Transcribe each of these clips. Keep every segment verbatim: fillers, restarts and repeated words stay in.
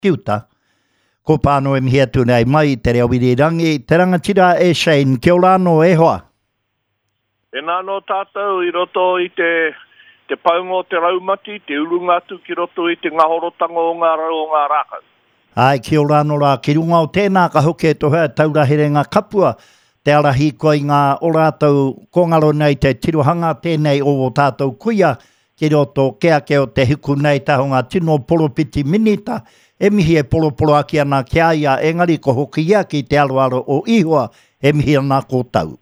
Ki uta. Ko pāno e mihi atu nei mai te reo irirangi, te rangatira e Shane, kia ora anō e hoa. Tēnā anō tātou i roto i te, te paunga o te raumati, te urunga atu ki roto i te ngahorotanga o ngā rau o ngā rākau. Ai, kia ora anō rā, ki runga o tēnā ka hoki e tohea taura herenga kapua, te ara hīkoi ngā o rātou kongaro nei te tirohanga tēnei o o tātou kuia, ki roto ke ake o te hiku nei taho ngā tino poropiti minita, e mihi e poroporoaki ana ki a ia, engari ko hoki ia ki te aroaro o Ihoa, e mihi ana ko tau.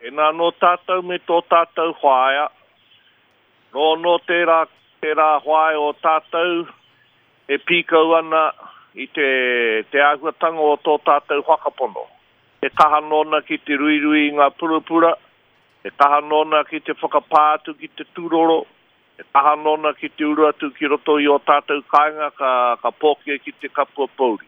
Tēnā nō tātou me tō tātou whaea, nō nō tērā, tērā whaea o tātou e pīkau ana i te, te āhuatanga o tō tātou whakapono. He kaha nōna ki te ruirui i ngā purapura, he kaha nōna ki te whakapā atu ki te tūroro, he kaha nōna ki te uru atu ki roto i o tātou kāinga ka, ka pōkia ki te kapua pouri.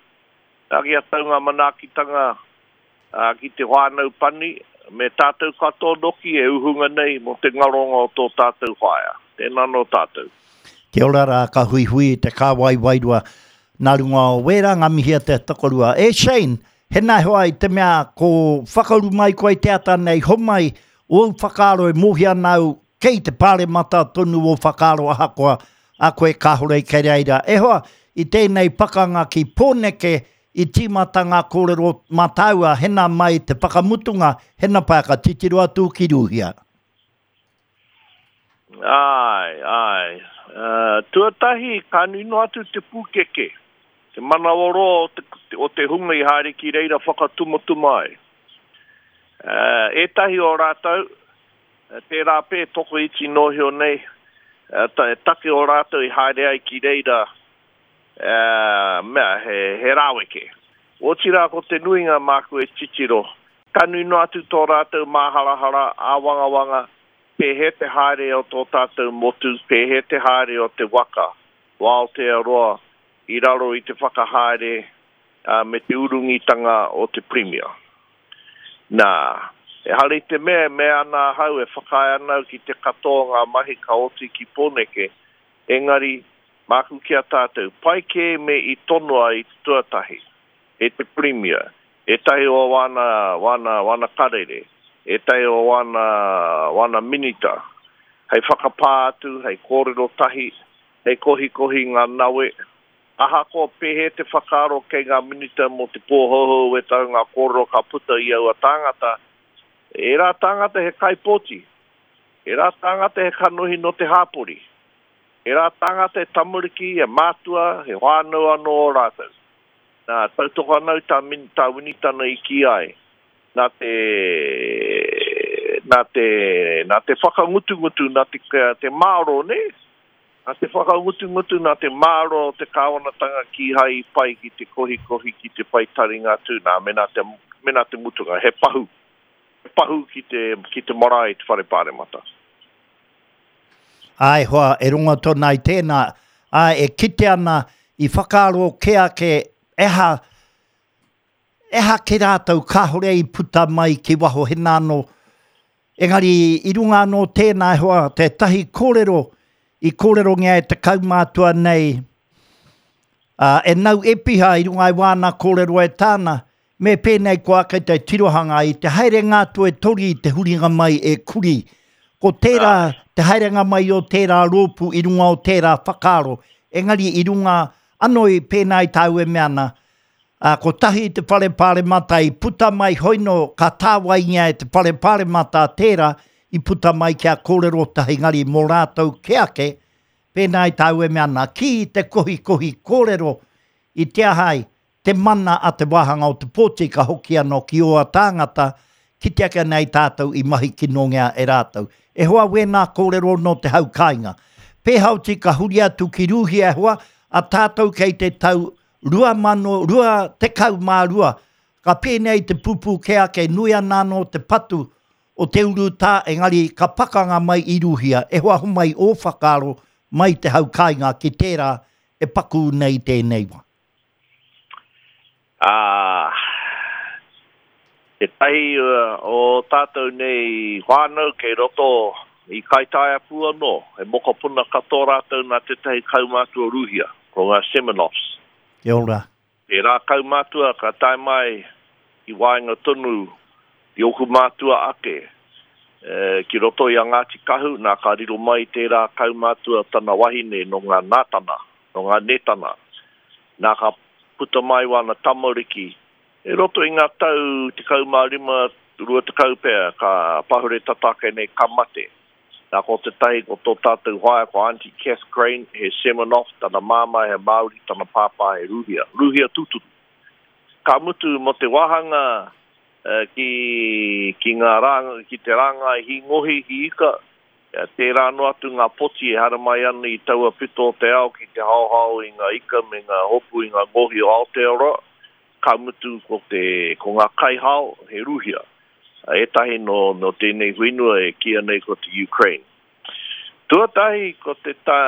Nā kia tau ngā manaakitanga uh, ki te whānau pani, me tātou katoa noki e uhunga nei mō te ngaronga o tō tātou whaea. Tēnā nō tātou. Kia ora rā, ka huihui te kāwai wairua nā runga o wērā ngā mihi a te tokorua. E Shane, hena hoa i te mea ko whakauru mai koe te ata nei, homai, o whakaaro e mōhia nau, kei te pāremata tonu o whakaaro ahakoa, a koe kāhore kei reira. E hoa, i tēnei pakanga ki Pōneke, i tīmata ngā kōrero mātāua, hena mai te whakamutunga, hena pā ka titiro atu ki Rūhia. Ai, ai. Uh, tuatahi, ka nui noa atu te pūkeke, te manawaroa o te, o te hunga i haere ki reira whakatumatuma ai. Uh, ētahi o rātou, tērā pē tokoiti nohio nei, uh, ta, take o rātou i haere ai ki reira, uh, mea, he, he rāweke. Otirā ko te nuinga māku e titiro, ka nui noa atu tō rātou māharahara, āwangawanga, pēhea te haere o tō tātou motu, pēhea te haere o te waka, o Aotearoa, i raro i te whakahaere uh, me te urungitanga o te Premier. Nā, e hare te mea, mea ana ahau e whakaae ana au ki te katoa ngā mahi ka oti ki Pōneke, engari, māku ki a tātou, pai kē me i tonoa i te tuatahi, e te Premier, ētahi o wana, wana, wana karere, ētahi o wana, wana minita, hei whakapā atu, hei kōrero tahi, hei kohikohi ngā nawe, ahakoa pēhea te whakaaro kei ngā minita mō te pōhouhou e tau ngā kōrero ka puta i aua tāngata, ērā tāngata he kaipōti, ērā tāngata he kanohi no te hāpori, ērā tāngata he tamariki, he mātua, he whānau anō o rātou. Nā, tautoko anau tā, min, tā Winitana i ki ai, nā te, nā te, nā te whakangutungutu, nā te, te māro, ne? Nā te whakangutungutu, nā te māro o te kāwanatanga kīhai i pai ki te kohikohi, ki te whai taringa atu, nā, me nā te, me nā te mutunga, he pahu, he pahu ki te, ki te marae i te whare pāremata. Ai hoa, e rongo tōna i tēnā, ai, e kite ana i whakaaro ke ake, eha, eha ke rātou kāhore i puta mai ki waho hena anō. Engari i runga anō tēnā e hoa, tētahi kōrero i kōrerongia e te kaumātua nei, uh, e nau epiha i runga i wāna kōrero e tāna, me pēnei ko ake te tirohanga i te haerenga atu e tori i te huringa mai e kuri. Ko tērā, te haerenga mai o tērā rōpū i runga o tērā whakaaro, engari i runga anō i pēnā i tāu e mea ana, uh, ko tahi te whare pāremata i puta mai hoino ka tāwaingia e te whare pāremata tērā i puta mai kia kōrero tahi ngari mō rātou ke ake, pēnā i tāu e mea ana, ki te kohikohi kōrero i te ahai, te mana a te wāhanga o te pōti ka hoki anō ki oa tāngata, ki te ake nei tātou i mahi kinongia e rātou. E hoa wēnā kōrero no te hau kāinga. Pēhauti ka huri atu ki Rūhia e hoa, a tātou kei te tau rua mano, rua tekau mā rua. Ka pēnei te pupū ke ake nui ana anō te patu o te urutā, engari ka pakanga mai i Rūhia. E hoa homai o whakaaro mai te hau kāinga ki tērā e paku nei tēnei wā. Ah, te tahi uh, o tātou nei whānau kei roto i Kaitaia pū anō, he mokopuna katoa rātou nā tētahi kaumātua Rūhia, ko ngā Semenoffs. Kia ora. Tērā kaumātua ka tae mai i waenga tonu i ōku mātua ake, e, ki roto i a Ngāti Kahu, nā ka riro mai tērā kaumātua tana wahine nō ngā Nātana, nō ngā Netana. Nā ka puta mai wāna tamariki. E roto i ngā tau tekau mā rima, rua tekau pea, ka pahure tata ake nei ka mate. Nā ko tētahi ko tō tātou whaea ko Auntie Kath Crane, he Semenoff, tana māmā he Māori, tana pāpā he Rūhia, Rūhia tūturu. Ka mutu mō te wāhanga ki, ki, ngā rā, ki te rāngai hī ngohi, hī ika, tērā noa atu ngā poti e haramai ana i taua pito o te ao ki te haohao i ngā ika me ngā hopu i ngā ngohi o Aotearoa, ka mutu ko, te, ko ngā kaihao he Rūhia. Ētahi nō, nō tēnei whenua e kīia nei ko te Ukraine. Tuatahi ko te tā,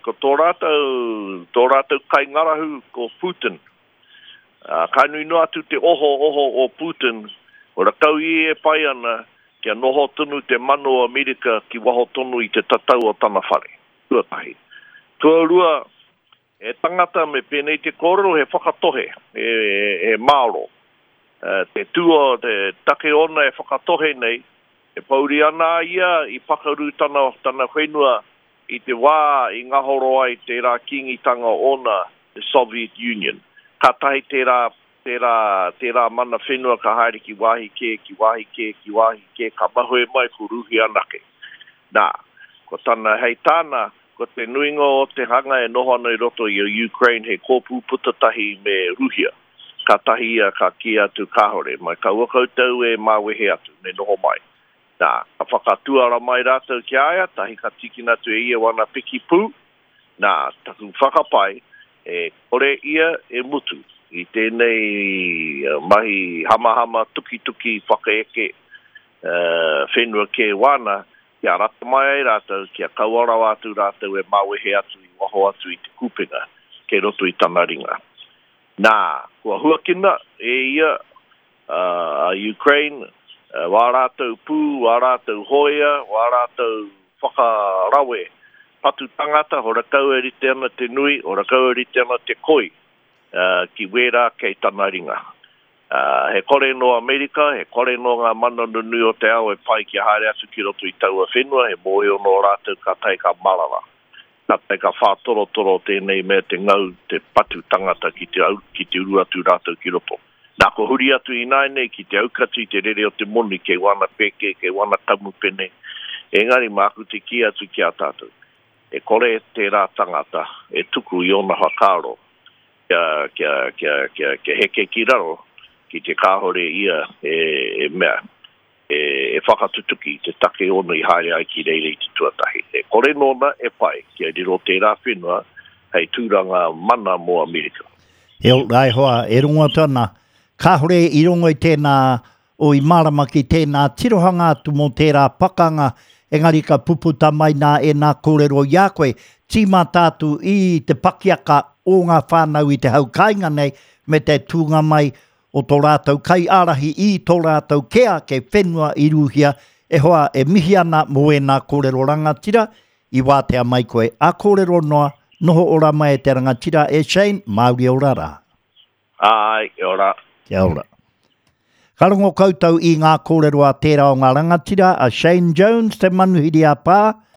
ko tō rātou, tō rātou kaingarahu ko Putin. Uh, ka nui noa atu te oho oho o Putin, ora kau i e pai ana kia noho tonu te mana o Amerika ki waho tonu i te tatau o tana whare. Tuatahi. Tuarua, he tangata me pēnei te kōrero he whakatohe, he, he, he māro. Uh, te tua, te take ona e whakatohe nei, e pouri ana a ia i pakaru tana, tana whenua i te wā i ngahoro ai tērā kīngitanga ona, te Soviet Union. Ka tahi tērā, tērā, tērā mana whenua ka haere ki wāhi kē, ki wāhi kē, ki wāhi kē, ka mahue mai ko Rūhia anake. Nā, ko tana hei tāna, ko te nuinga o te hanga e noho ana i roto i a Ukraine he kōpū putatahi me Rūhia. Ka tahi ia ka kī atu kāhore, mai kaua koutou e māwehe atu, me noho mai. Nā, ka whakatuara mai rātou ki a ia, tahi ka tīkina atu e ia wana piki pū. Nā, taku whakapae, e kore ia e mutu i tēnei mahi hamahama tukituki whakaeke uh, whenua kē wāna, kia rata mai ai rātou, kia kaua rawa atu rātou e māwehe atu i waho atu i te kupenga, kei roto i tana ringa. Nā, kua huakina e ia uh, a Ukraine, uh, wā rātou pū, wā rātou hoia, wā rātou whakarawe, patu tangata, ora kau e rite ana te nui, ora kau e rite ana te koi, uh, ki wērā kei tana ringa. Uh, he kore no Amerika, he kore no ngā mana nunui o te ao e pai kia haere atu ki roto i taua whenua, he mōhio no rātou ka tae ka marara. Ka tae ka whātorotoro tēnei mea te ngau, te patu tangata ki te, au, ki te uru atu rātou ki roto. Nā ko huri atu ināianei ki te aukati te rere o te moni, kei wana pēke, kei wana kamupene. Engari māku te kī atu ki a tātou. E kore tērā tangata e tuku i ōna whakaaro kia, kia, kia, kia, kia heke ki raro ki te kāhore ia e, e mea, e, e whakatutuki te take ona i haere ai ki reira i te tuatahi. E kore nōna e pai kia riro tērā whenua hei tūranga mana mō Amerika. E ora e hoa, e rongo atu ana, kāhore i rongo i tēnā o i mārama ki tēnā tirohanga atu mō tērā pakanga, engari ka puputa mai nā e nā kōrero i a koe, tīmata atu i te pakiaka o ngā whānau i te hau kāinga nei, me te tūnga mai o tō rātou kai ārahi i tō rātou kē ake whenua i Rūhia, e hoa e mihi ana mō ēnā kōrero rangatira, i wātea mai koe. A kōrero noa, noho ora mai e te rangatira e Shane, Māori ora rā. Ai, ora. Kia ora. Ka rongo koutou i ngā kōrero a tērā o ngā rangatira, a Shane Jones, te manuhiri a pā,